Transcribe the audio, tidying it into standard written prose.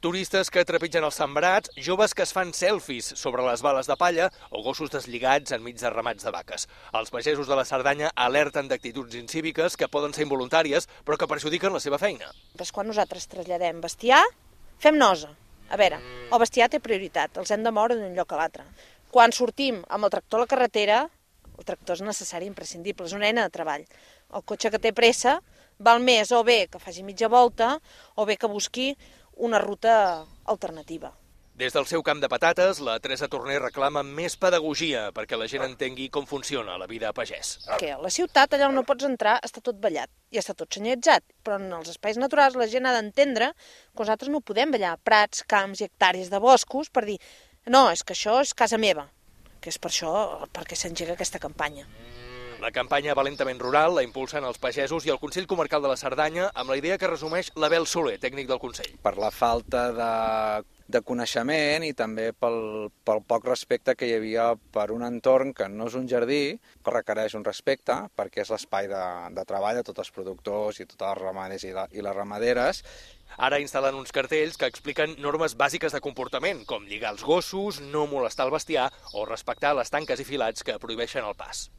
Turistes que trepitgen els sembrats, joves que es fan selfies sobre les bales de palla o gossos deslligats enmig de ramats de vaques. Els pagesos de la Cerdanya alerten d'actituds incíviques que poden ser involuntàries, però que perjudiquen la seva feina. Però quan nosaltres traslladem bestiar, fem nosa. A veure, el bestiar té prioritat, els hem de moure d'un lloc a l'altre. Quan sortim amb el tractor a la carretera, el tractor és necessari, imprescindible, és una eina de treball. El cotxe que té pressa val més o bé que faci mitja volta o bé que busqui una ruta alternativa. Des del seu camp de patates, la Teresa Torner reclama més pedagogia perquè la gent entengui com funciona la vida a pagès. Que a la ciutat, allà on no pots entrar, està tot ballat i està tot senyalitzat, però en els espais naturals la gent ha d'entendre que nosaltres no podem ballar prats, camps i hectàrees de boscos per dir no, és que això és casa meva, que és per això perquè s'engega aquesta campanya. La campanya Valentament Rural la impulsen els pagesos i el Consell Comarcal de la Cerdanya amb la idea que resumeix l'Abel Soler, tècnic del Consell. Per la falta de coneixement i també pel poc respecte que hi havia per un entorn que no és un jardí, que requereix un respecte perquè és l'espai de treball de tots els productors i tots els ramaders i les ramaderes. Ara instal·len uns cartells que expliquen normes bàsiques de comportament, com lligar els gossos, no molestar el bestiar o respectar les tanques i filats que prohibeixen el pas.